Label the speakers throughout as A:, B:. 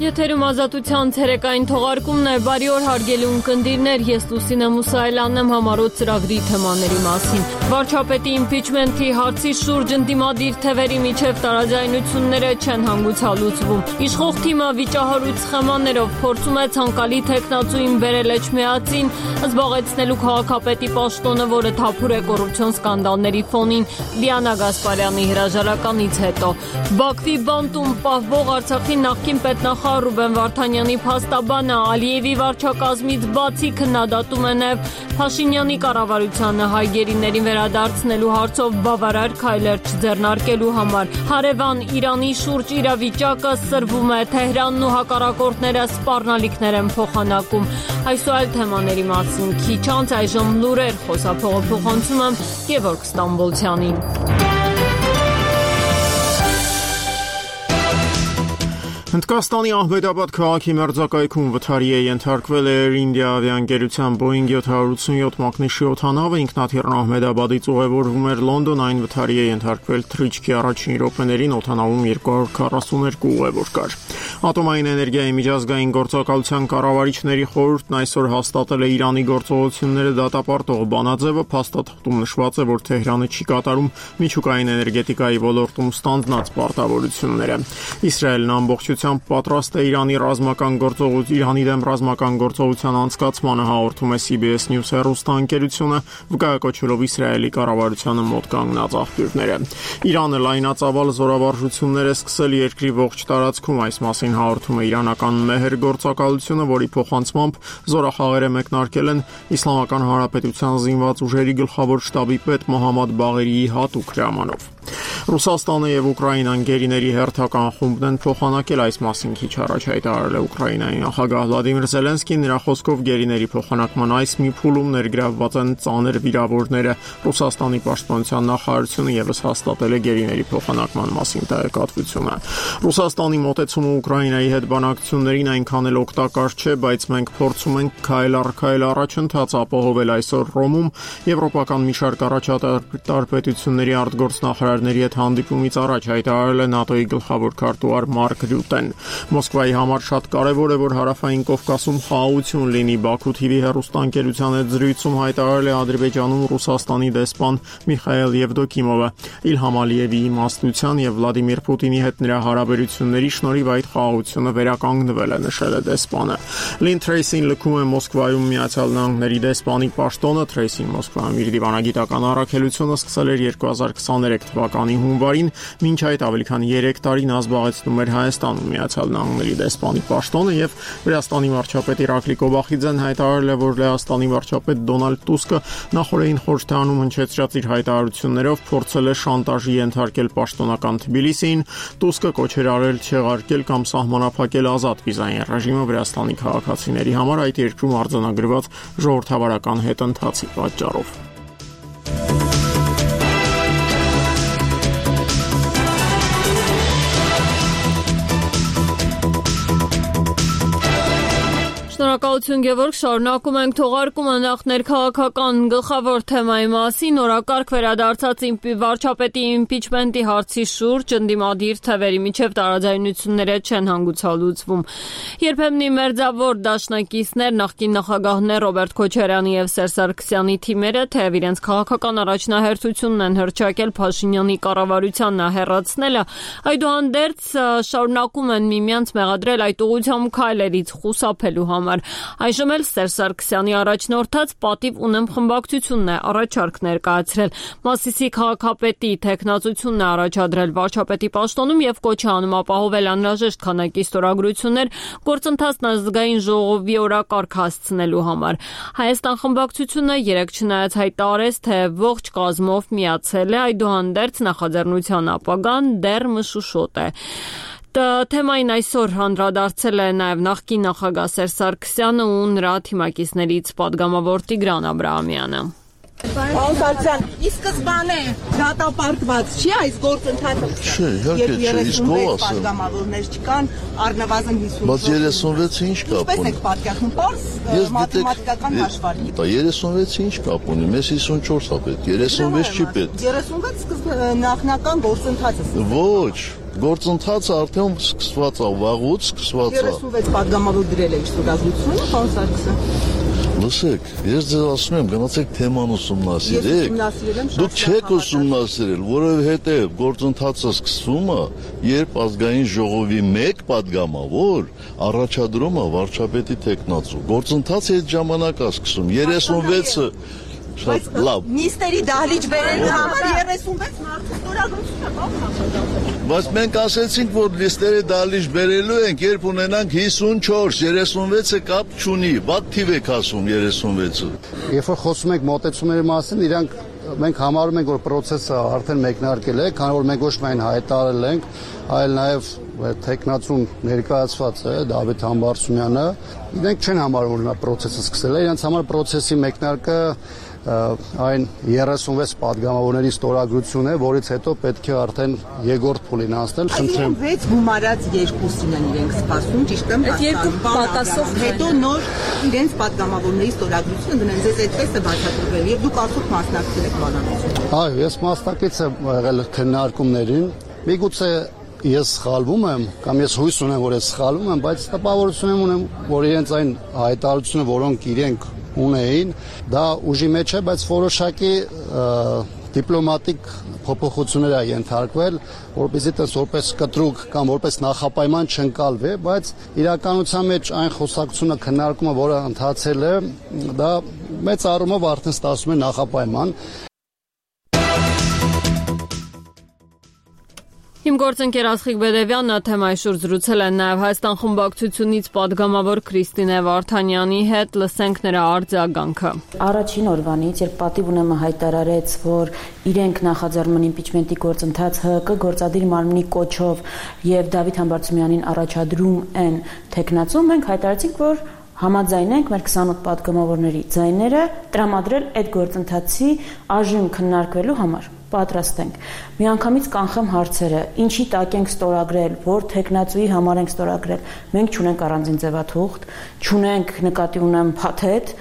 A: Եթերում ազատության ցերեկային թողարկումն է, բարի օր հարգելի ունկնդիրներ, ես Լուսինե Մուսայելյանն եմ համառոտ ծրագրի թեմաների մասին։ Վարչապետի իմպիչմենթի հարցի շուրջ ընդդիմադիր թևերի միջև տարաձայնությունները չեն հանգուցալուծվում։ Իշխող թիմը վիճահարույց սխեմաներով փորձում է ցանկալի թեկնածուին բերել Էջմիածին, զբաղեցնելու քաղաքապետի պաշտոնը, որը թափուր է կոռուպցիոն սկանդալների ֆոնին Դիանա Գասպարյանի հրաժարականից հետո։ Բաքվի բանտում պահվող Արցախի նախկին պետնախարար Ռուբեն Վարդանյանի փաստաբանը Ալիևի վարչակազմից բացի քննադատում է նաև Փաշինյանի կառավարությանը հայ գերիներին վերադարձնելու հարցով բավարար քայլեր չձեռնարկելու համար։ Հարևան Իրանի շուրջ իրավիճակը սրվում է, Թեհրանն ու հակառակորդները սպառնալիքներ են փոխանակում։ Այս ու այլ թեմաների մասին քիչ անց այժմ լուրեր, խոսափողը փոխանցում եմ Գևորգ Ստամբոլցյանին։
B: Հնդկաստանի Ահմեդաբադ քաղաքի մերձակայքում վթարի է ենթարկվել Air India ավիաընկերության Boeing 787 մակնիշի օդանավը, ինքնաթիռն Ահմեդաբադից ուղևորվում էր Լոնդոն, այն վթարի է ենթարկվել թռիչքի առաջին րոպեներին, օդանավում 242 ուղևոր կար։ Ատոմային էներգիայի միջազգային գործակալության կառավարիչների խորհուրդն այսօր հաստատել է Իրանի գործողությունները դատապարտող բանաձևը, փաստաթղթում նշված է, որ Թեհրանը չի կատարում միջուկային էներգետիկայի ոլորտում ստանձնած պարտավորությունները։ Իսրայելն ամբողջությամբ պատրաստ է Իրանի դեմ ռազմական գործողության անցկացմանը, հաղորդում է CBS News հեռուստաընկերությունը, վկայակոչելով Իսրայելի կառավարությանը մոտ կանգնած աղբյուրները։ Իրանը լայնածավալ զորավարժություններ է սկսել երկրի ողջ տարածքում, այս մասին հաղորդում է իրանական Մեհեր գործակալությունը, որի փոխանցմամբ զորախաղերը մեկնարկել են Իսլամական Հանրապետության զինված ուժերի գլխավոր շտաբի պետ Մոհամմադ Բաղերիի հատուկ հրամանով։ Ռուսաստանը եւ Ուկրաինան գերիների հերթական խումբն են փոխանակել, այս մասին քիչ առաջ հայտարարել է Ուկրաինայի նախագահ Վլադիմիր Զելենսկին, նրա խոսքով գերիների փոխանակման այս մի փուլում ներգրավված են ծանր վիրավորները։ Ռուսաստանի պաշտպանության նախարարությունը եւս հաստատել է գերիների փոխանակման մասին տեղեկատվությունը։ Ռուսաստանի մոտեցումը Ուկրաինայի հետ բանակցություններին այնքան էլ օգտակար չէ, բայց մենք փորձում ենք քայլ առ քայլ առաջընթաց ապահովել այսօր Ռոմում եվրոպական մի շարք առաջատար պետությունների արտգործնախարարների հետ հանդիպումից առաջ հայտարարել է ՆԱՏՕ-ի գլխավոր քարտուղար Մարկ Ռյուտեն։ Մոսկվայի համար շատ կարևոր է, որ հարավային Կովկասում խաղաղություն լինի, Բաքու TV հեռուստաընկերության հետ զրույցում հայտարարել է Ադրբեջանում Ռուսաստանի դեսպան Միխայել Եվդոկիմովը։ Իլհամ Ալիևի իմաստության եւ Վլադիմիր Պուտինի հետ նրա հարաբերությունների շնորհիվ այդ խաղաղությունը վերականգնվել է, նշել է դեսպանը։ Լին Թրեյսին լքում է Մոսկվայում Միացյալ Նահանգների դեսպանի պաշտոնը, Թրեյսին Մոսկվայում իր դիվանագիտական առաքելությունը սկսել էր 2023 թվականի հունվարին, մինչ այդ ավելի քան 3 տարի նա զբաղեցնում էր Հայաստանում Միացյալ Նահանգների դեսպանի պաշտոնը եւ Վրաստանի վարչապետ Իրակլի Կոբախիձեն հայտարարել է, որ Լեհաստանի վարչապետ Դոնալդ Տուսկը նախորդին խորհրդարանում հնչեցրած իր հայտարարություններով փորձել է շանտաժի ենթարկել պաշտոնական Թբիլիսիին, Տուսկը կոչեր արել չեղարկել կամ սահմանափակել ազատ վիզային ռեժիմը Վրաստանի քաղաքացիների համար այդ երկրում արձանագրված ժողովրդավարական հետընթացի պատճառով։
A: Շնորհակալություն Գևորգ, շարունակում ենք թողարկումը նախ ներքաղաքական գլխավոր թեմայի մասին, օրակարգ վերադարձած վարչապետի իմպիչմենթի հարցի շուրջ ընդդիմադիր թևերի միջև տարաձայնությունները չեն հանգուցալուծվում։ Երբեմնի մերձավոր դաշնակիցներ, նախկին նախագահներ Ռոբերտ Քոչարյանի եւ Սերժ Սարգսյանի թիմերը թեև իրենց քաղաքական առաջնահերթությունն են հռչակել Փաշինյանի կառավարությանն հեռացնելը, այդուհանդերձ շարունակում են միմյանց մեղադրել այդ ուղղությամբ քայլերից խուսափելու համար։ Այժմ էլ Սերժ Սարգսյանի առաջնորդած պատիվ ունեմ խմբակցությունն է առաջարկ ներկայացրել։ Մասիսի քաղաքապետի թեկնածությունն է առաջադրել վարչապետի պաշտոնում եւ կոչ է անում ապահովել անհրաժեշտ քանակի ստորագրություններ գործընթացն ազգային ժողովի օրակարգ հասցնելու համար։ Հայաստան խմբակցությունը երեկ չնայած հայտարարեց, թե ողջ կազմով միացել է, այդուհանդերձ նախաձեռնության ապագան դեռ մշուշոտ է։ Թեմային այսօր անդրադարձել է նաև նախկին նախագահ Սերժ Սարգսյանը ու նրա թիմակիցներից падգամավոր Տիգրան Աբրահամյանը։
C: Պարոն Սարգսյան, ի սկզբանե դատապարտված չի այս գործընթացը։
D: Չէ, իհարկե չէ, իսկ ով ասել։
C: Պատգամավորներ չկան, առնվազն 50։
D: Բայց 36-ը ինչ կապ ունի։
C: Պես եք պատկերացնում, պարզ մաթեմատիկական հաշվարկի։
D: 36-ը ինչ կապ ունի, մեզ 54-ա պետք, 36 չի պետք։
C: 36 նախնական գործընթացը։
D: Ոչ, Գործընթացը արդեն սկսված է, վաղուց սկսված է։
C: 36 падգամավոր դրել է ստորագրությունը, պարոն Սարգսը։
D: Լսեք, ես ձեզ ասում եմ, գնացեք թեման ուսումնասիրեք։ Դուք չեք ուսումնասիրել, որովհետև գործընթացը սկսվում է, երբ ազգային ժողովի մեկ падգամավոր առաջադրում է վարչապետի տեխնացու։ Գործընթացը այդ ժամանակ է սկսում, 36-ը շատ լավ։
C: Նիստերի դահլիճ բերելու համար 36 մարդու ստորագրությունը կողմ։
D: Բայց մենք ասեցինք, որ լիստերի դահլիճ բերելու ենք, երբ ունենանք 54, 36-ը կապ չունի, վատ թիվ եք ասում 36-ը։
E: Երբ որ խոսում ենք մոտեցումների մասին, իրանք մենք համարում ենք, որ process-ը արդեն մեկնարկել է, քանի որ մենք ոչ միայն հայտարարել ենք, այլ նաև տեխնացուն ներկայացված է Դավիթ Համբարձումյանը, իրենք չեն համարում, որ նա process-ը սկսել է, իրենց համար process-ի մեկնարկը այն 36 падգամավորների ստորագրություն է, որից հետո պետք է արդեն երկրորդ փուլին անցնել, խնդրեմ։
C: 6 գումարած 2-ին են իրենք սպասում, ճիշտ եմ։
F: Այդ երկու պատասխան
C: հետո նոր իրենց падգամավորների ստորագրությունը դնեն, ձեզ այդպես է բացատրվել, եւ դուք արդյոք մասնակցել եք բանալուծին։
E: Այո, ես մասնակից եմ եղել քննարկումներին։ Միգուցե ես սխալվում եմ, կամ ես հույս ունեմ, որ ես սխալվում եմ, բայց տպավորություն ունեմ, որ իրենց այն հայտարարությունը, որոնք իրենք ունեին, դա ուժի մեջ է, բայց որոշակի դիպլոմատիկ փոփոխություններ է ենթարկվել, որպեսզի որպես կտրուկ կամ որպես նախապայման չընկալվի, բայց իրականության մեջ այն խոսակցությունը քննարկումը, որը ընթացել է, դա մեծ առումով արդեն ստացվում է նախապայման։
A: Իմ գործընկեր Աստղիկ Բեդևյանն թեմայի շուրջ զրուցել են նաև Հայաստան խմբակցությունից падգամավոր Քրիստինե Վարդանյանի հետ, լսենք նրա արձագանքը։
G: Առաջին օրվանից, երբ պատիվ ունեմը հայտարարեց, որ իրենք նախաձեռնում են իմպիչմենտի գործընթաց ՀԿ գործադիր մարմնի կոչով եւ Դավիթ Համբարձումյանին առաջադրում են տեխնացում, մենք հայտարարեցինք, որ համաձայնենք մեր 28 падգամավորների ձայները տրամադրել այդ գործընթացի այժմ քննարկվելու համար։ Պատրաստ ենք։ Միանգամից կանխեմ հարցերը, ինչի տակ ենք ստորագրել, որ տեխնացուի համար ենք ստորագրել։ Մենք չունենք առանձին ձևաթուղթ, չունենք նկատի ունեմ փաթեթ,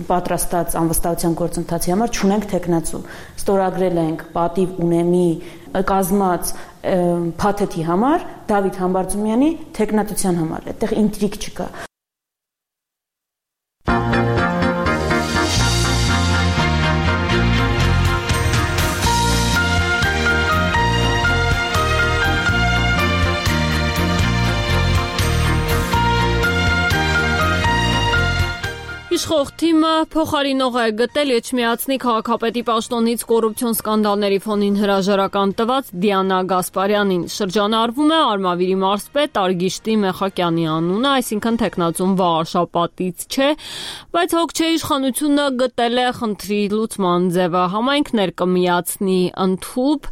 G: պատրաստած անվստահության գործընթացի համար չունենք տեխնացու։ Ստորագրել ենք պատիվ ունեմի կազմած փաթեթի համար, Դավիթ Համբարձումյանի տեխնատության համար։ Այդտեղ ինտրիգ չկա։
A: Իշխող թիմը փոխարինող է գտել Էջմիածնի քաղաքապետի պաշտոնից կոռուպցիոն սկանդալների ֆոնին հրաժարական տված Դիանա Գասպարյանին։ Շրջանառվում է Արմավիրի մարզպետ Արգիշտի Մեխակյանի անունը, այսինքն տեխնացուն վաղարշապատից չէ, բայց հոգչե իշխանությունը գտել է խնդրի լուծման ձևը, համայնքներ կմիացնի ընդհուպ,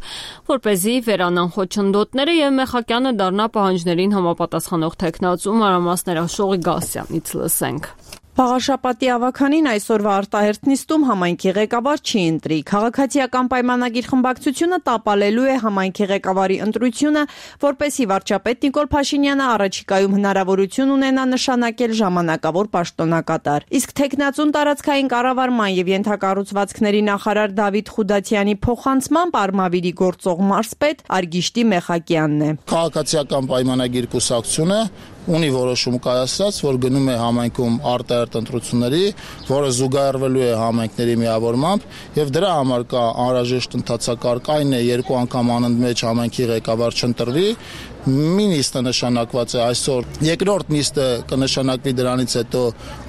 A: որպեսզի վերանան խոչընդոտները եւ Մեխակյանը դառնա պահանջներին համապատասխանող տեխնացու, մանրամասներ Աշողի Գասյանից լսենք։
F: Վաղարշապատի ավականին այսօրվա արտահերթ նիստում համայնքի ղեկավար չի ընտրի։ Քաղաքացիական պայմանագիր խմբակցությունը տապալելու է համայնքի ղեկավարի ընտրությունը, որպեսզի վարչապետ Նիկոլ Փաշինյանը առաջիկայում հնարավորություն ունենա նշանակել ժամանակավոր պաշտոնակատար։ Իսկ տեխնացուն տարածքային կառավարման եւ ենթակառուցվածքների նախարար Դավիթ Խուդատյանի փոխանցմամբ Արմավիրի գործող մարզպետ Արգիշտի Մեխակյանն է։
E: Քաղաքացիական պայմանագիր կուսակցությունը ունի որոշում կայացրած, որ գնում է համայնքում արտահերթ ընտրությունների, որը զուգահեռվելու է համայնքների միավորմամբ եւ դրա համար կա անհրաժեշտ ընթացակարգ, այն է երկու անգամ անընդմեջ համայնքի ղեկավար չընտրվի, մի նիստը նշանակված է այսօր, երկրորդ նիստը կնշանակվի դրանից հետո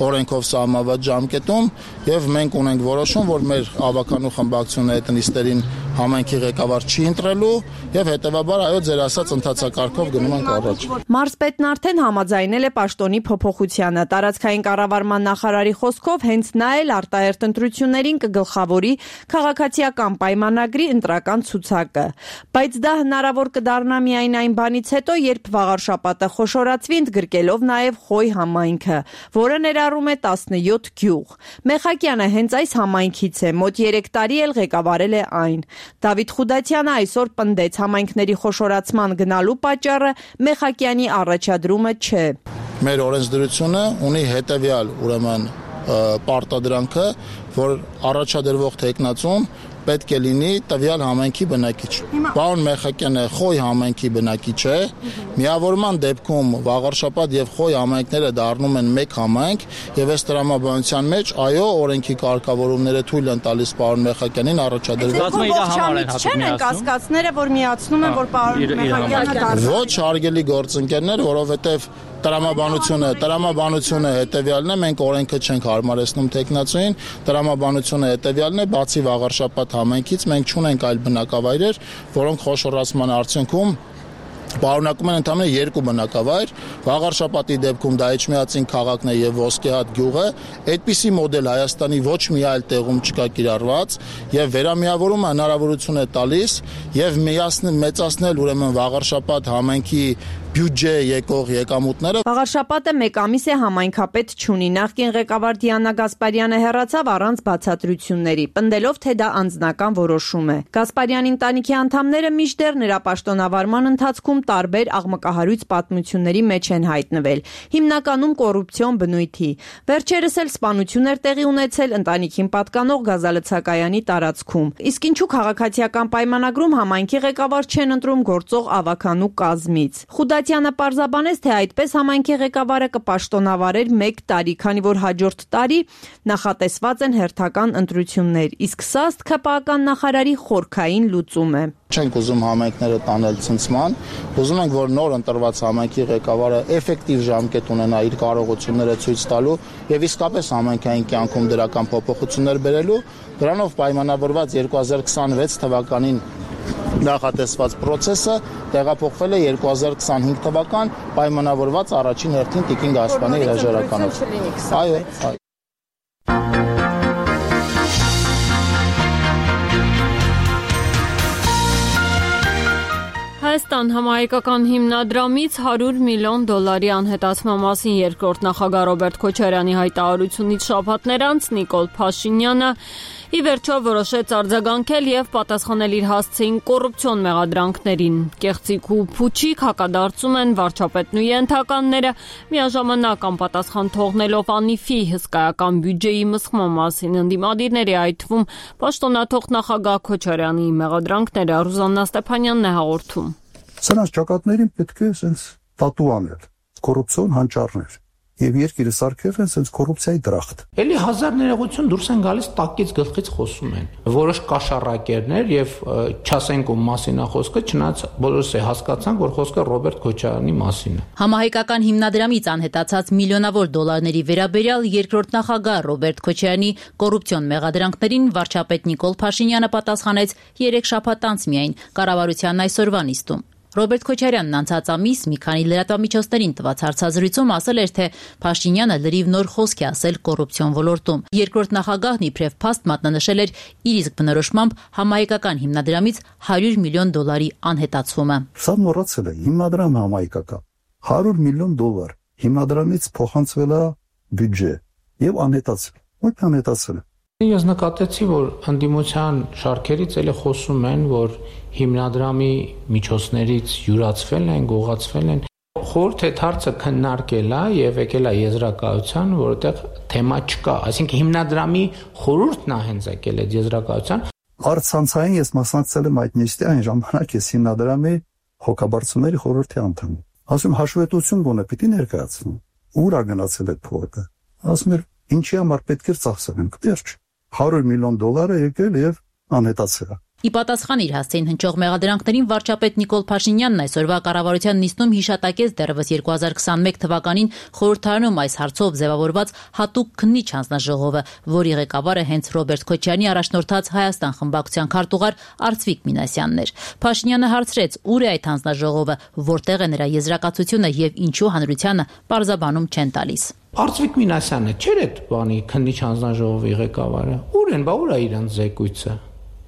E: օրենքով սահմանված ժամկետում եւ մենք ունենք որոշում, որ մեր ավականու խմբակցությունը այդ նիստերին համայնքի ղեկավար չի ընտրելու եւ հետեւաբար այո ձեր ասած ընթացակարգով գնում ենք առաջ։
F: Մարզպետն արդեն համաձայնել է պաշտոնի փոփոխությանը։ Տարածքային կառավարման նախարարի խոսքով հենց նա էլ արտահերթ ընտրություններին կգլխավորի քաղաքացիական պայմանագրի ընտրական ցուցակը։ Բայց դա հնարավոր կդառնա միայն այն բանից հետո, երբ վաղարշապատը խոշորացվի ընդգրկելով նաև Խոյ համայնքը, որը ներառում է 17 գյուղ։ Մեխակյանը հենց այս համայնքից է, մոտ 3 տարի էլ ղեկավարել է այն։ Դավիթ Խուդատյանը այսօր պնդեց համայնքների խոշորացման գնալու պատճառը Մեխակյանի առաջադրումը չէ։
E: Մեր օրենսդրությունը ունի հետևյալ, ուրեմն, պարտադրանքը, որ առաջադրվող տեխնացուն պետք է լինի տվյալ համայնքի բնակիչ։ Պարոն Մեխակյանը Խոյ համայնքի բնակիչ է։ Միավորման դեպքում Վաղարշապատ եւ Խոյ համայնքները դառնում են մեկ համայնք եւ այս տրամաբանության մեջ այո օրենքի կարգավորումները թույլ են տալիս պարոն Մեխակյանին առաջադրել։
F: Չեն են կասկածները, որ միացնում են, որ պարոն Մեխակյանը դարձել։
E: Ոչ հարգելի գործընկերներ, որովհետեւ տրամաբանությունը հետևյալն է, մենք օրենքը չենք հարմարեցնում տեխնացուին, տրամաբանությունը հետևյալն է, բացի Վաղարշապատ համայնքից մենք չունենք այլ բնակավայրեր, որոնք խոշորացման արդյունքում պարունակում են ընդհանրապես երկու բնակավայր, Վաղարշապատի դեպքում դա Էջմիածին քաղաքն է եւ Ոսկեհատ գյուղը, այդպիսի մոդել Հայաստանի ոչ մի այլ տեղում չկա կիրառված եւ վերամիավորումը հնարավորություն է տալիս եւ մեծացնել ուրեմն Վաղարշապատ համայնքի բյուջե եկող եկամուտները։
F: Վաղարշապատը մեկ ամիս է համայնքապետ չունի։ Նախկին ղեկավար Դիանա Գասպարյանը հեռացավ առանց բացատրությունների, պնդելով, թե դա անձնական որոշում է։ Գասպարյանի ընտանիքի անդամները մինչդեռ նրա պաշտոնավարման ընթացքում տարբեր աղմկահարույց պատմությունների մեջ են հայտնվել, հիմնականում կոռուպցիոն բնույթի։ Վերջերս էլ սպանություն էր տեղի ունեցել ընտանիքին պատկանող գազալցակայանի տարածքում։ Իսկ ինչու քաղաքացիական պայմանագրում համայնքի ղեկավար չեն ընտրում գործող ավականու կազմից։ Խուդատյանը պարզաբանեց, թե այդպես համայնքի ղեկավարը կպաշտոնավարեր 1 տարի, քանի որ հաջորդ տարի նախատեսված են հերթական ընտրություններ, իսկ սա ըստ ՔՊԱ նախարարի խորքային լուծում է։
E: Չենք ուզում համայնքները տանել ցնցման, ուզում ենք, որ նոր ընտրված համայնքի ղեկավարը էֆեկտիվ ժամկետ ունենա իր կարողությունները ցույց տալու եւ իսկապես համայնքային կյանքում դրական փոփոխություններ բերելու, դրանով պայմանավորված 2026 թվականին նախատեսված process-ը տեղափոխվել է 2025 թվական պայմանավորված առաջին հերթին Տիկին Գասպարյանի հրաժարականով։ Այո։
A: Հայաստան համահայկական հիմնադրամից $100 միլիոն անհետացման մասին երկրորդ նախագահ Ռոբերտ Քոչարյանի հայտարարությունից շաբաթներ անց Նիկոլ Փաշինյանը ի վերջո որոշեց արձագանքել եւ պատասխանել իր հասցեին կոռուպցիոն մեղադրանքներին։ Կեղծիք ու փուչիկ հակադարձում են վարչապետն ու ենթականները, միաժամանակ անպատասխան թողնելով անիֆի հսկայական բյուջեի մսխման մասին ընդդիմադիրների, այդ թվում պաշտոնաթող նախագահ Քոչարյանի մեղադրանքները Ռուզաննա Ստեփանյանն է հաղորդում։
H: Սրանց ճակատներին պետք է sense տատու անել, կոռուպցիոն հանճարներ։ Եվ երկիրը սարքել են sense կոռուպցիայի դրախտ։
I: Էլի հազար ներողություն դուրս են գալիս տակից գլխից խոսում են։ Որոշ կաշառակերներ եւ չասենք ում մասին է խոսքը, չնայած բոլորս է հասկացանք, որ խոսքը Ռոբերտ Քոչարյանի մասին է։
J: Համահայկական հիմնադրամից անհետացած միլիոնավոր դոլարների վերաբերյալ երկրորդ նախագահ Ռոբերտ Քոչարյանի կոռուպցիոն մեղադրանքներին վարչապետ Նիկոլ Փաշինյանը պատասխանեց 3 շաբաթ անց միայն կառավարության այսօրվա նիստում։ Ռոբերտ Քոչարյանն անցած ամիս մի քանի լրատվամիջոցներին տված հարցազրույցում ասել էր, թե Փաշինյանը լրիվ նոր խոսք է ասել կոռուպցիոն ոլորտում։ Երկրորդ նախագահն իբրև փաստ մատնանշել էր իր իսկ բնորոշմամբ համահայկական հիմնադրամից $100 միլիոն անհետացումը։
H: Սա մոռացել է հիմնադրամը համահայկական $100 միլիոն հիմնադրամից փոխանցվել է բյուջե եւ անհետացել։ Ո՞ր անհետացել է։
I: Ես նկատեցի, որ ընդդիմության շարքերից էլի խոսում են, որ հիմնադրամի միջոցներից յուրացվել են, գողացվել են։ Խորհուրդ է հարցը քննարկել է եւ եկել է եզրակացության, որտեղ թեմա չկա, այսինքն հիմնադրամի խորհուրդն է հենց եկել այդ եզրակացության։
H: Արցանցային ես մասնակցել եմ այդ նիստի այն ժամանակ ես հիմնադրամի հոգաբարձությունների խորհրդի անդամ։ Ասում հաշվետվություն գոնե պիտի ներկայացնեմ։ Ուր է գնացել այդ փողը։ Ասում էր ինչի համար պետք է ծախսենք։ Վերջ $100 միլիոն եկել եւ անհետացել։
J: Ի պատասխան իր հասցեին հնչող մեղադրանքներին վարչապետ Նիկոլ Փաշինյանն այսօրվա կառավարության նիստում հիշատակեց դեռևս 2021 թվականին խորհրդարանում այս հարցով ձևավորված հատուկ քննիչ հանձնաժողովը, որի ղեկավարը հենց Ռոբերտ Քոչարյանի առաջնորդած Հայաստան խմբակցության քարտուղար Արծվիկ Մինասյանն էր։ Փաշինյանը հարցրեց, ուր է այդ հանձնաժողովը, որտեղ է նրա եզրակացությունը եւ ինչու հանրությանը պարզաբանում չեն տալիս։
I: Արծվիկ Մինասյանը չէր այդ բանի քննիչ հանձնաժողովի ղեկավարը։ Ուր են, բա ուր է իրանց զեկույցը։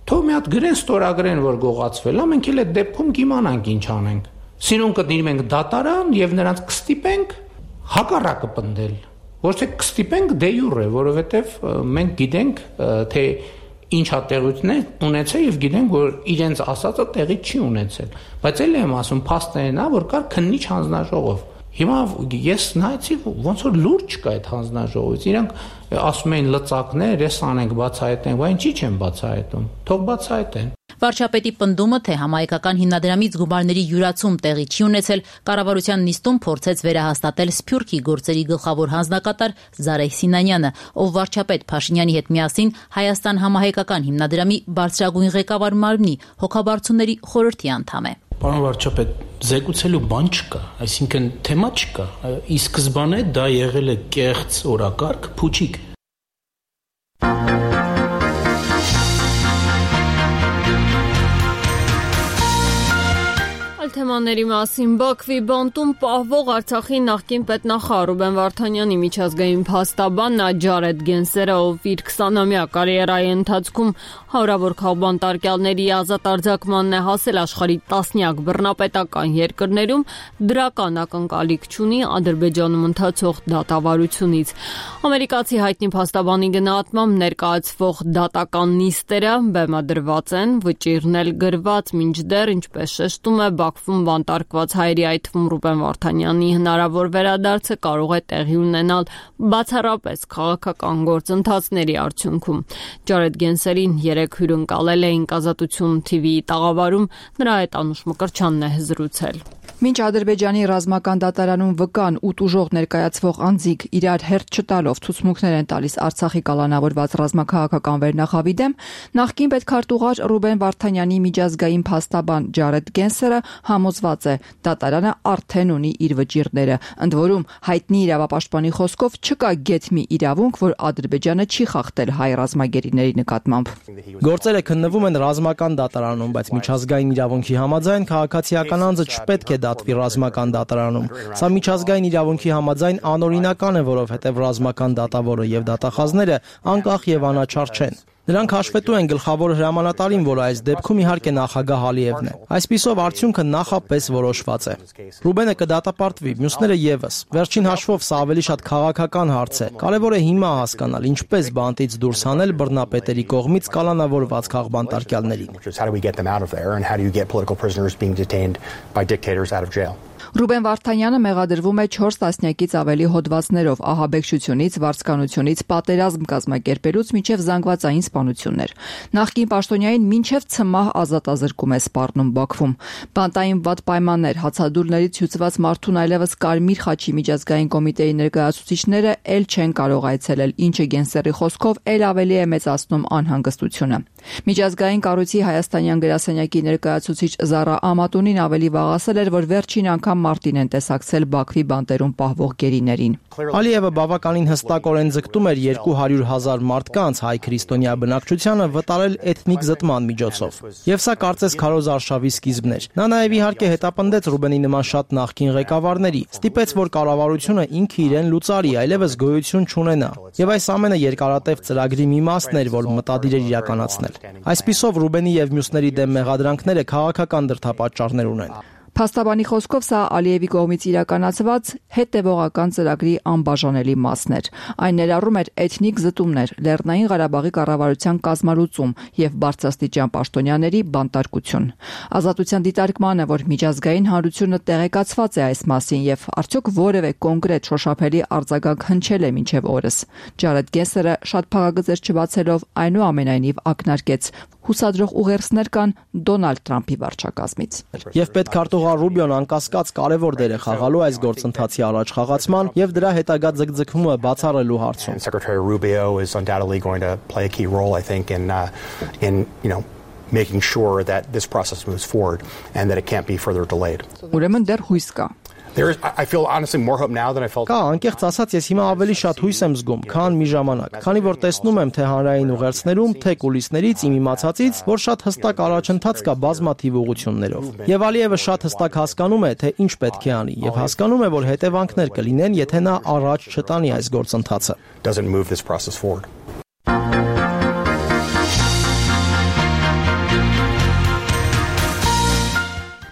I: Թող մի հատ գրեն ստորագրեն, որ գողացվել է, մենք էլ այդ դեպքում կիմանանք ինչ անենք։ Սիրուն կդնի մենք դատարան եւ նրանց կստիպենք հակառակը պնդել։ Ոչ թե կստիպենք դե յուրե, որովհետեւ մենք գիտենք, թե ինչ հատեղությունն է ունեցել եւ գիտենք, որ իրենց ասածը տեղի չի ունեցել։ Բայց էլ եմ ասում, փաստերն է, որ կար քննիչ հանձնաժողով։ Հիմա ես նայեցի ոնց որ լուրջ չկա այդ հանձնաժողովից։ Իրանք ասում էին լծակներ, ես անենք բացահայտենք, բայց ինչի չեն բացահայտում։ Թող բացահայտեն։
J: Վարչապետի պնդումը, թե համահայկական հիմնադրամից գումարների յուրացում տեղի չի ունեցել, կառավարության նիստում փորձեց վերահաստատել Սփյուռքի գործերի գլխավոր հանձնակատար Զարեհ Սինանյանը, ով վարչապետ Փաշինյանի հետ միասին Հայաստան համահայկական հիմնադրամի բարձրագույն ղեկավար մարմնի հոգաբարձուների խորհրդի անդամ է։
K: Պարոն վարչապետ, զեկուցելու բան չկա, այսինքն թեմա չկա։ Ի սկզբանե դա եղել է կեղծ օրակարգ, փուչիկ։
A: Թեմաների մասին Բաքվի բանտում պահվող Արցախի նախկին պետնախարար Ռուբեն Վարդանյանի միջազգային փաստաբան Ջարեդ Գենսերը, ով իր 20-ամյա կարիերայի ընթացքում հարյուրավոր քաղբանտարկյալների ազատ արձակմանն է հասել աշխարհի տասնյակ բռնապետական երկրներում, դրական ակնկալիք չունի Ադրբեջանում ընթացող դատավարությունից։ Ամերիկացի հայտնի փաստաբանի գնահատմամբ ներկայացվող դատական նիստերը բեմադրված են, վճիռն էլ գրված, մինչդեռ ինչպես շեշտում է Բաքվում բանտարկված հայերի, այդ թվում Ռուբեն Վարդանյանի հնարավոր վերադարձը կարող է տեղի ունենալ բացառապես քաղաքական գործընթացների արդյունքում։ Ջարեդ Գենսերին երեք հյուրընկալել էին Ազատություն TV-ի տաղավարում, նրա հետ Անուշ Մկրտչյանն է զրուցել։
L: Մինչ Ադրբեջանի ռազմական դատարանում վկան ու տուժող ներկայացվող անձիկ իրար հերթ չտալով ցուցմունքներ են տալիս Արցախի կալանավորված ռազմաքաղաքական վերնախավի դեմ, նախկին պետքարտուղար Ռուբեն Վարդանյանի միջազգային փաստաբան Ջարեդ Գենսերը համոզված է, դատարանը արդեն ունի իր վճիռները, ընդ որում հայտնի իրավապաշտպանի խոսքով չկա գեթմի իրավունք, որ Ադրբեջանը չի խախտել հայ ռազմագերիների նկատմամբ։
M: Գործերը քննվում են ռազմական դատարանում, բայց միջազգային իրավունքի համաձայն քաղաքացիական անձը չպետք է դատվի ռազմական դատարանում։ Սա միջազգային իրավունքի համաձայն անօրինական է, որովհետև ռազմական դատավորը եւ դատախազները անկախ եւ անաչառ չեն։ Նրանք հաշվետու են գլխավոր հրամանատարին, որը այս դեպքում իհարկե նախագահ Ալիևն է։ Այսպիսով արդյունքը նախապես որոշված է։ Ռուբենը կդատապարտվի, մյուսները եւս։ Վերջին հաշվով սա ավելի շատ քաղաքական հարց է։ Կարևոր է հիմա հասկանալ, ինչպես բանտից դուրս հանել բռնապետերի կողմից կալանավորված քաղբանտարկյալներին։
L: Ռուբեն Վարդանյանը մեղադրվում է 4 տասնյակից ավելի հոդվածներով ահաբեկչությունից, վարձկանությունից, պատերազմ կազմակերպելուց մինչև զանգվածային սպանություններ։ Նախկին պաշտոնյային մինչև ցմահ ազատազրկում է սպառնում Բաքվում։ Բանտային վատ պայմաններ, հացադուլներից հյուծված մարդուն այլևս Կարմիր խաչի միջազգային կոմիտեի ներկայացուցիչները էլ չեն կարող այցելել, ինչը Գենսերի խոսքով էլ ավելի է մեծացնում անհանգստությունը։ Միջազգային կառույցի հայաստանյան գրասենյակի ներկայացուցիչ Զարա Ամատունին ավելի վաղ ասել էր, որ վերջին անգամ մարտին են տեսակցել Բաքվի բանտերում պահվող գերիներին։
M: Ալիևը բավականին հստակորեն ձգտում էր 200,000 մարդկանց հայ քրիստոնյա բնակչությանը վտարել էթնիկ զտման միջոցով։ Եվ սա կարծես քարոզ արշավի սկիզբն էր։ Նա նաև իհարկե հետապնդեց Ռուբենի նման շատ նախկին ղեկավարների, ստիպեց, որ կառավարությունը ինքը իրեն լուծարի, այլևս գոյություն չունենա։ Եվ այս ամենը երկարատև ծրագրի մի մասն էր, որ մտադիր էր իրականացնել։ Այսպիսով Ռուբենի եւ մյուսների դեմ մեղադրանքները քաղաքական դրդապատճառներ ունեն։
L: Փաստաբանի խոսքով սա Ալիևի կողմից իրականացված հետևողական ծրագրի անբաժանելի մասն էր։ Այն ներառում էր էթնիկ զտումներ, Լեռնային Ղարաբաղի կառավարության կազմալուծում եւ բարձրաստիճան պաշտոնյաների բանտարկություն։ Ազատության դիտարկմանը, որ միջազգային հանրությունը տեղեկացված է այս մասին եւ արդյոք որևէ կոնկրետ շոշափելի արձագանք հնչել է մինչեւ օրս։ Ջարեդ Գենսերը շատ փաղագծեր չբացելով այնուամենայնիվ ակնարկեց հուսադրող ուղերձներ կան Դոնալդ Թրամփի վարչակազմից։
M: Եվ պետքարտուղար Ռուբիոն անկասկած կարևոր դեր է խաղալու այս գործընթացի առաջխաղացման եւ դրա հետագա ձգձգումը բացառելու հարցում։
N: Secretary Rubio is undoubtedly going to play a key role, I think, in making sure that this process moves forward and that it can't be further delayed.
L: Ուրեմն դեռ հույս կա։
N: I feel honestly more hope now than I felt.
M: Կա, անկեղծ ասած, ես հիմա ավելի շատ հույս եմ զգում, քան մի ժամանակ, քանի որ տեսնում եմ թե հանրային ուղերձներում, թե կուլիսներից, իմ իմացածից, որ շատ հստակ առաջընթաց կա բազմաթիվ ուղղություններով։ Եվ Ալիևը շատ հստակ հասկանում է, թե ինչ պետք է անի, եւ հասկանում է, որ հետևանքներ կլինեն, եթե նա առաջ չտանի այս գործընթացը։
N: Doesn't move this process forward.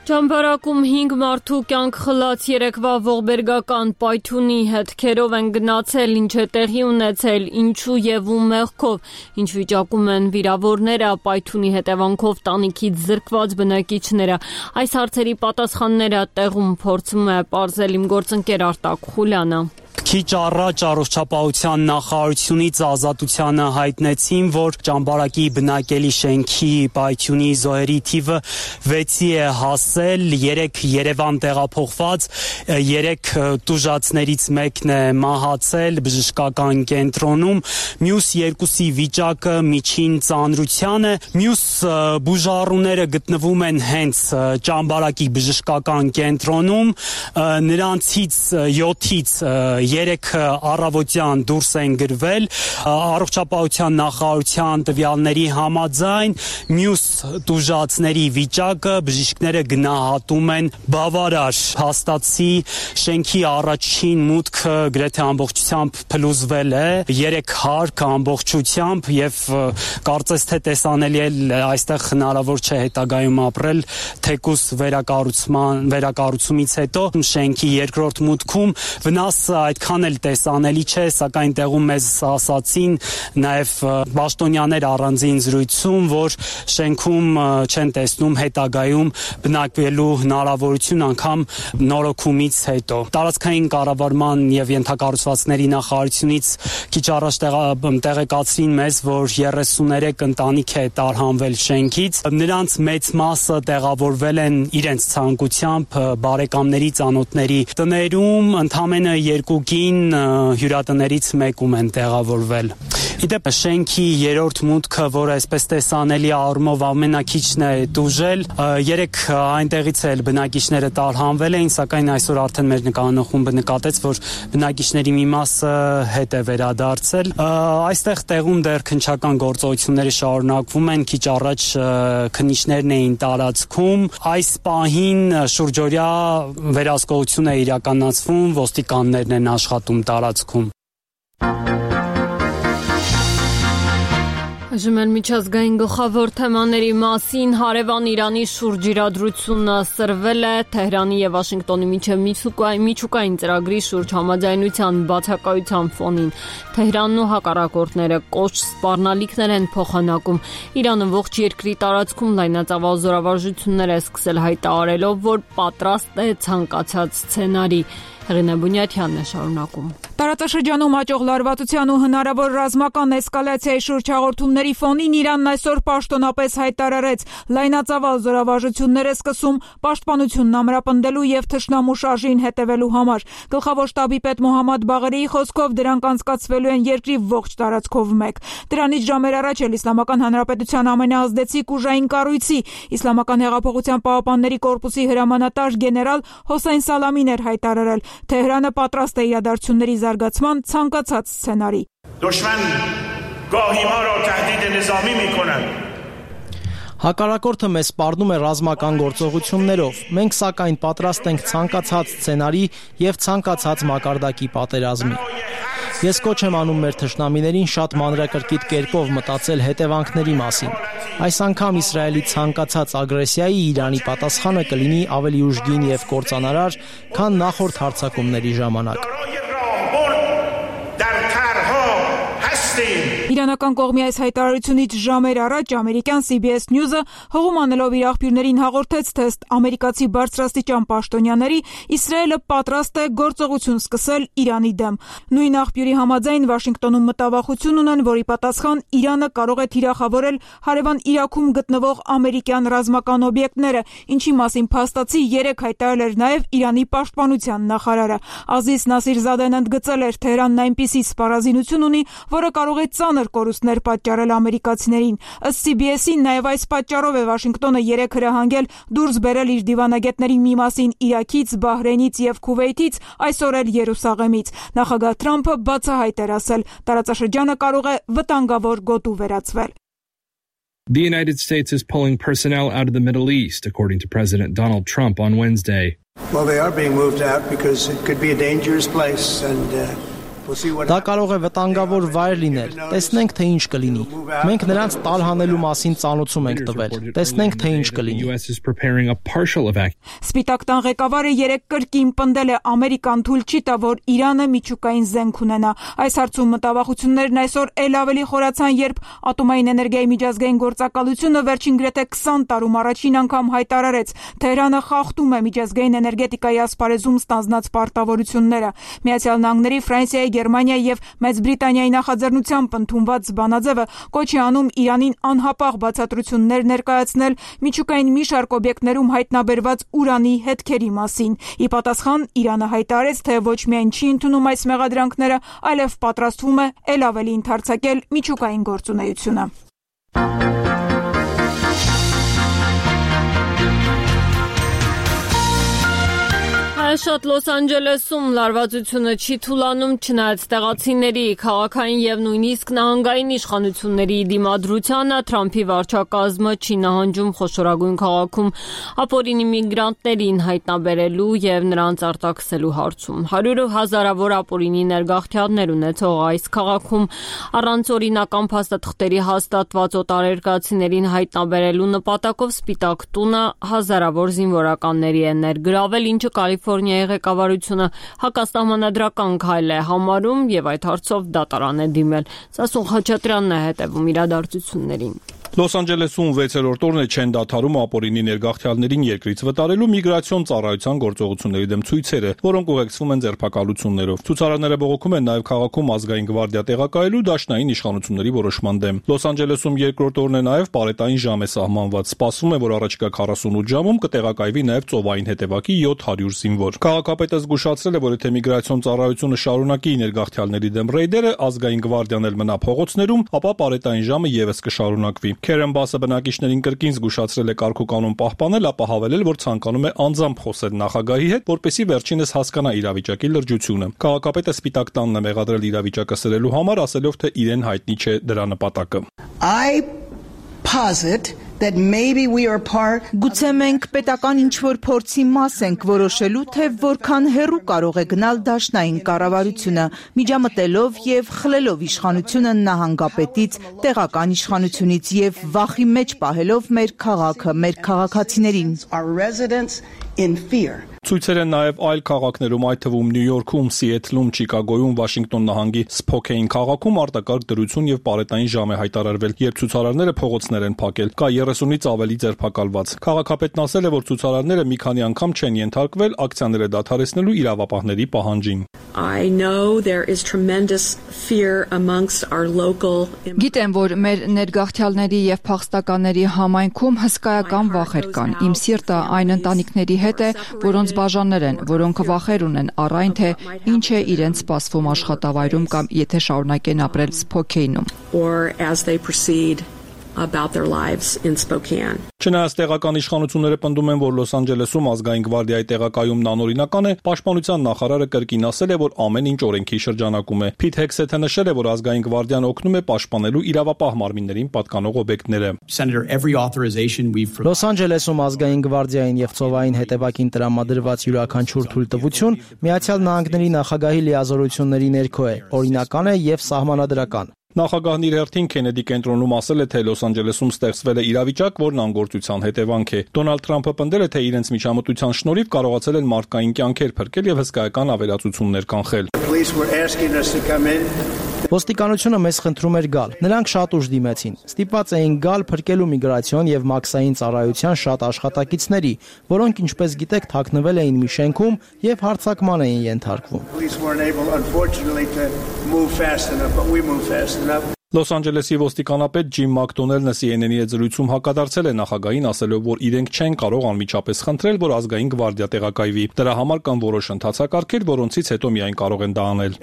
A: Ճամբարակում 5 մարդու կյանք խլած երեկվա ողբերգական պայթյունի հետքերով են գնացել, ինչ է տեղի ունեցել, ինչու եւ ում մեղքով, ինչ վիճակում են վիրավորները, պայթյունի հետևանքով տանիքից զրկված բնակիչները։ Այս հարցերի պատասխանները տեղում փորձում է պարզել իմ գործընկեր Արտակ Խուլյանը։
O: Քիչ առաջ առողջապահության նախարարությունից Ազատությանը հայտնեցին, որ Ճամբարակի բնակելի շենքի պայթյունի զոհերի թիվը 6-ի է հասել, 3 Երևան տեղափոխված, 3 տուժածներից մեկն է մահացել բժշկական կենտրոնում, մյուս 2-ի վիճակը միջին ծանրության է, մյուս բուժառուները գտնվում են հենց Ճամբարակի բժշկական կենտրոնում, նրանցից 7-ից 3 առավոտյան դուրս են գրվել, առողջապահության նախարարության տվյալների համաձայն մյուս տուժածների վիճակը բժիշկները գնահատում են բավարար։ Հաստատի շենքի առաջին մուտքը գրեթե ամբողջությամբ փլուզվել է, 3 հարկ ամբողջությամբ եւ կարծես թե տեսանելի է այստեղ հնարավոր չէ հետագայում ապրել թեկուս վերակառուցումից հետո շենքի երկրորդ մուտքում վնասը այդքան էլ տեսանելի չէ, սակայն տեղում մեզ ասացին նաև պաշտոնյաներ առանձին զրույցում, որ շենքում չեն տեսնում հետագայում բնակվելու հնարավորություն անգամ նորոգումից հետո։ Տարածքային կառավարման եւ ենթակառուցվածքների նախարարությունից քիչ առաջ տեղեկացրին մեզ, որ 33 ընտանիք է տարհանվել շենքից, նրանց մեծ մասը տեղավորվել են իրենց ցանկությամբ բարեկամների, ծանոթների տներում, ընդամենը 2 կին հյուրատներից մեկում են տեղավորվել։ Իդեպ շենքի երրորդ մուտքը, որը այսպես տեսանելի առումով ամենակիչն է տուժել, 3 այնտեղից էլ բնակիչները տարհանվել էին, սակայն այսօր արդեն մեր նկարահանախումբը նկատեց, որ բնակիչների մի մասը հետ է վերադարձել։ Այստեղ տեղում դեռ քննչական գործողությունները շարունակվում են, քիչ առաջ քննիչներն էին տարածքում։ Այս պահին շուրջօրյա վերահսկողություն է իրականացվում, ոստիկաններն են աշխատում տարածքում։
A: Այժմ միջազգային գլխավոր թեմաների մասին հարևան Իրանի շուրջ իրադրությունը սրվել է Թեհրանի եւ Վաշինգտոնի միջև միջուկային ծրագրի շուրջ համաձայնության բացակայության ֆոնին։ Թեհրանն ու հակառակորդները կոշտ սպառնալիքներ են փոխանակում։ Իրանը ողջ երկրի տարածքում լայնածավալ զորավարժություններ է սկսել հայտարարելով, որ պատրաստ է ցանկացած սցենարի։ Հեղինե Բունյաթյանն է շարունակում։
P: Տարածաշրջանում աճող լարվածության ու հնարավոր ռազմական էսկալացիայի շուրջ հաղորդումների ֆոնին Իրանն այսօր պաշտոնապես հայտարարեց լայնածավալ զորավարժություններ է սկսում պաշտպանությունն ամրապնդելու եւ թշնամու շարժին հետևելու համար։ Գլխավոր շտաբի պետ Մոհամմադ Բաղերիի խոսքով դրանք անցկացվելու են երկրի ողջ տարածքով մեկ։ Դրանից ժամեր առաջ էլ Իսլամական Հանրապետության ամենաազդեցիկ ուժային կառույցի Իսլամական հեղափոխության պահապանների կորպուսի հրամանատար գեներալ Հոսեյն Սալամին էր հայտարարել, Թեհրանը պատրաստ է իրադարձությունների զարգացման ցանկացած սցենարի։
Q: Դուշման գահի ма را تهدید نظامی میکنند
M: Հակառակորդը մեզ սպառնում է ռազմական գործողություններով։ Մենք սակայն պատրաստ ենք ցանկացած սցենարի եւ ցանկացած մակարդակի պատերազմի։ Ես կոչ եմ անում մեր թշնամիներին շատ մանրակրկիտ կերպով մտածել հետևանքների մասին։ Այս անգամ Իսրայելի ցանկացած ագրեսիայի Իրանի պատասխանը կլինի ավելի ուժգին եւ կործանարար, քան նախորդ հարձակումների ժամանակ։
P: Իրանական կողմի այս հայտարարությունից ժամեր առաջ ամերիկյան CBS News-ը հողում անելով իր աղբյուրներին հաղորդեց, թե ըստ ամերիկացի բարձրաստիճան պաշտոնյաների Իսրայելը պատրաստ է գործողություն սկսել Իրանի դեմ։ Նույն աղբյուրի համաձայն Վաշինգտոնում մտավախություն ունեն, որի պատասխան Իրանը կարող է թիրախավորել հարևան Իրաքում գտնվող ամերիկյան ռազմական օբյեկտները, ինչի մասին փաստացի 3 հայտարարել էր նաև Իրանի պաշտպանության նախարարը։ Ազիզ Նասիրզադեն ընդգծել էր, Թեհրանն այնպիսի սպառազինություն ունի, որը կարող է ծանր կորուստներ պատճառել ամերիկացիներին։ Ըստ CBS-ի նաև այս պատճառով է Վաշինգտոնը 3 հրահանգել դուրս բերել իր դիվանագետների մի մասին Իրաքից, Բահրեյնից եւ Քուվեյթից, այսօր էլ Երուսաղեմից։ Նախագահ Թրամփը բացահայտ էր ասել, տարածաշրջանը կարող է վտանգավոր գոտու վերածվել։
R: The United States is pulling personnel out of the Middle East, according to President Donald Trump on Wednesday.
S: Well, they are being moved out because it could be a dangerous place and
M: Դա կարող է վտանգավոր վայր լինել։ Տեսնենք, թե ինչ կլինի։ Մենք նրանց տարհանելու մասին ծանոթում ենք տվել։ Տեսնենք, թե ինչ կլինի։
P: Սպիտակ տան ղեկավարը 3 կրկին պնդել է Ամերիկան թույլ չի տա, որ Իրանը միջուկային զենք ունենա։ Այս հարցում մտավախություններն այսօր էլ ավելի խորացան, երբ Ատոմային էներգիայի միջազգային գործակալությունը վերջին գրեթե 20 տարում առաջին անգամ հայտարարեց, Թեհրանը խախտում է միջազգային էներգետիկայի ասպարեզում ստանձնած պարտավորությունները։ Միացյալ Նահանգների, Ֆրանսիայի, Գերմանիայի եւ Մեծ Բրիտանիայի նախաձեռնությամբ ընդունված բանաձևը կոչ է անում Իրանին անհապաղ բացատրություններ ներկայացնել միջուկային մի շարք օբյեկտներում հայտնաբերված ուրանի հետքերի մասին։ Ի պատասխան Իրանը հայտարարեց, թե ոչ միայն չի ընդունում այս մեղադրանքները, այլև պատրաստվում է ել ավելի ընդարձակել միջուկային գործունեությունը։
A: Շատ Լոս Անջելեսում լարվածությունը չի թուլանում, չնայած տեղացիների, քաղաքային եւ նույնիսկ նահանգային իշխանությունների դիմադրությանը, Թրամփի վարչակազմը չի նահանջում խոշորագույն քաղաքում ապօրինի միգրանտներին հայտնաբերելու եւ նրանց արտաքսելու հարցում։ 100 հազարավոր ապօրինի ներգաղթյալներ ունեցող այս քաղաքում առանց օրինական փաստաթղթերի հաստատված օտարերկրացիներին հայտնաբերելու նպատակով Սպիտակ տունը հազարավոր զինվորականների է ներգրավել, ինչը Կալիֆոռնիայի ղեկավարությունը հակասահմանադրական քայլ է համարում եւ այդ հարցով դատարան է դիմել։ Սասուն Խաչատրյանն է հետևում իրադարձություններին։
S: Լոս Անջելեսում 6-րդ օրն է չեն դադարում ապօրինի ներգաղթյալներին երկրից վտարելու միգրացիոն ծառայության գործողությունների դեմ ցույցերը, որոնք ուղեկցվում են ձերբակալություններով։ Ցուցարարները բողոքում են նաև քաղաքում ազգային գվարդիա տեղակայելու դաշնային իշխանությունների որոշման դեմ։ Լոս Անջելեսում 2-րդ օրն է նաև պարետային ժամ է սահմանված։ Սպասվում է, որ առաջիկա 48 ժամում կտեղակայվի նաև ծովային հետևակի 700 զինվոր։ Քաղաքապետը զգուշացրել է, որ եթե միգրացիոն ծառայությունը շարունակի ներգաղթյալների դեմ ռեյդերը, ազգային գվարդիան էլ մնա փողոցներում, ապա պարետային ժամը եւս կշարունակվի։ Քերեն Բասը բնակիչներին կրկին զգուշացրել է կարգուկանոն պահպանել, ապա հավելել, որ ցանկանում է անձամբ խոսել նախագահի հետ, որպեսզի վերջինս հասկանա իրավիճակի լրջությունը։ Քաղաքապետը Սպիտակ տանն է մեղադրել իրավիճակը սրելու համար, ասելով, թե իրեն հայտնի չէ դրա նպատակը։
T: Գուցե մենք պետական ինչ-որ փորձի մաս ենք որոշելու, թե որքան հեռու կարող է գնալ դաշնային կառավարությունը, միջամտելով եւ խլելով իշխանությունը նահանգապետից, տեղական իշխանությունից եւ վախի մեջ պահելով մեր քաղաքը, մեր քաղաքացիներին։
S: Ցույցեր են նաև այլ քաղաքներում, այդ թվում Նյու Յորքում, Սիեթլում, Չիկագոյում, Վաշինգտոն նահանգի Սփոքեյն քաղաքում արտակարգ դրություն եւ պարետային ժամ է հայտարարվել, երբ ցուցարարները փողոցներ են փակել։ Կա 30-ից ավելի ձերբակալված։ Քաղաքապետն ասել է, որ ցուցարարները մի քանի անգամ չեն ենթարկվել ակցիաները դադարեցնելու իրավապահների պահանջին։
L: Գիտեմ, որ մեր ներգաղթյալների եւ փախստականների համայնքում հսկայական վախեր կան։ Իմ սիրտը այն ընտանիքների հետ է, որոնց բաժաններ են, որոնք վախեր ունեն առ այն, թե ինչ է իրենց սպասվում աշխատավայրում կամ եթե շարունակեն ապրել Սփոքեյնում։
S: Չնայած տեղական իշխանությունները պնդում են, որ Լոս Անջելեսում ազգային գվարդիայի տեղակայումն անօրինական է, պաշտպանության նախարարը կրկին ասել է, որ ամեն ինչ օրենքի շրջանակում է։ Փիթ Հեքսեթը նշել է, որ ազգային գվարդիան օգնում է պաշտպանելու իրավապահ մարմիններին պատկանող օբյեկտները։
M: Լոս Անջելեսում ազգային գվարդիային եւ ծովային հետևակին տրամադրված յուրաքանչյուր թույլտվություն Միացյալ Նահանգների նախագահի լիազորությունների ներքո է, օրինական է եւ սահմանադրական։
S: Նախագահն իր հերթին Քենեդի կենտրոնում ասել է, թե Լոս Անջելեսում ստեղծվել է իրավիճակ, որն անգործության հետևանք է։ Դոնալդ Թրամփը պնդել է, թե իրենց միջամտության շնորհիվ կարողացել են մարդկային կյանքեր փրկել եւ հսկայական ավերածություններ կանխել։
M: Ոստիկանությունը մեզ խնդրում էր գալ։ Նրանք շատ ուժ դիմեցին։ Ստիպված էին գալ փրկելու միգրացիոն եւ մաքսային ծառայության շատ աշխատակիցների, որոնք, ինչպես գիտեք, թաքնվել էին մի շենքում եւ հարձակման էին ենթարկվում։
S: Լոս Անջելեսի ոստիկանապետ Ջիմ Մակդոնելնը CNN-ի հետ զրույցում հակադարձել է նախագահին, ասելով, որ իրենք չեն կարող անմիջապես խնդրել, որ ազգային գվարդիա տեղակայվի։ Դրա համար կան որոշ ընթացակարգեր, որոնցից հետո միայն կարող են դա անել։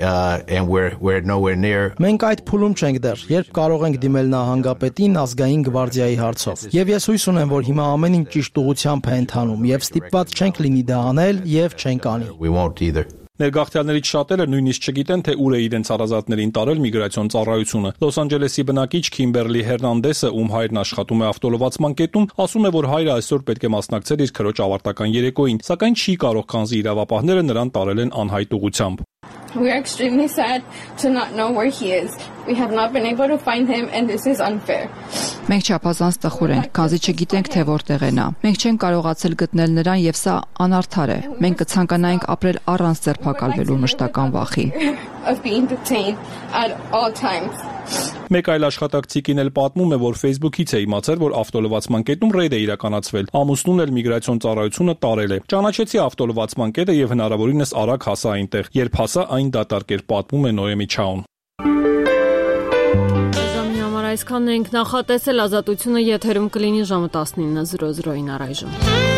M: Մենք այդ փուլում չենք դեռ, երբ կարող ենք դիմել նահանգապետին ազգային գվարդիայի հարցով։ Եվ ես հույս ունեմ, որ հիմա ամեն ինչ ճիշտ ուղղությամբ է ընթանում եւ ստիպված չենք լինի դա անել եւ չենք անի։
S: Ներգաղթյալներից շատերը նույնիսկ չգիտեն, թե ուր է իրենց հարազատներին տարել միգրացիոն ծառայությունը։ Լոս Անջելեսի բնակիչ Քիմբերլի Հերնանդեսը, ում հայրն աշխատում է ավտոլվացման կետում, ասում է, որ հայրը այսօր պետք է մասնակցեր իր քրոջ ավարտական երեկոյին, սակայն չի կարող, քանզի իրավապահները նրան տարել են անհայտ ուղղությամբ։
U: We are extremely sad to not know where he is. We have not been able to find him and this is unfair.
L: Մենք չափազանց տխուր ենք, քանզի չգիտենք թե որտեղ է նա։ Մենք չենք կարողացել գտնել նրան եւ սա անարդար է։ Մենք կցանկանայինք ապրել առանց ձերբակալվելու մշտական վախի։
U: Of being detained at all times.
S: Մեկ այլ աշխատակցիկին էլ պատմում է, որ Facebook-ից է իմացել, որ ավտոլվացման կետում ռեյդ է իրականացվել։ Ամուսնուն էլ միգրացիոն ծառայությունը տարել է։ Ճանաչեցի ավտոլվացման կետը եւ հնարավորինս արագ հասա այնտեղ։ Երբ հասա, այն դատարկ էր, պատմում է Նոեմի Չաուն։
A: Այսքանն ենք նախատեսել, ազատությունը եթերում կլինի ժամը 19:00-ին առայժմ։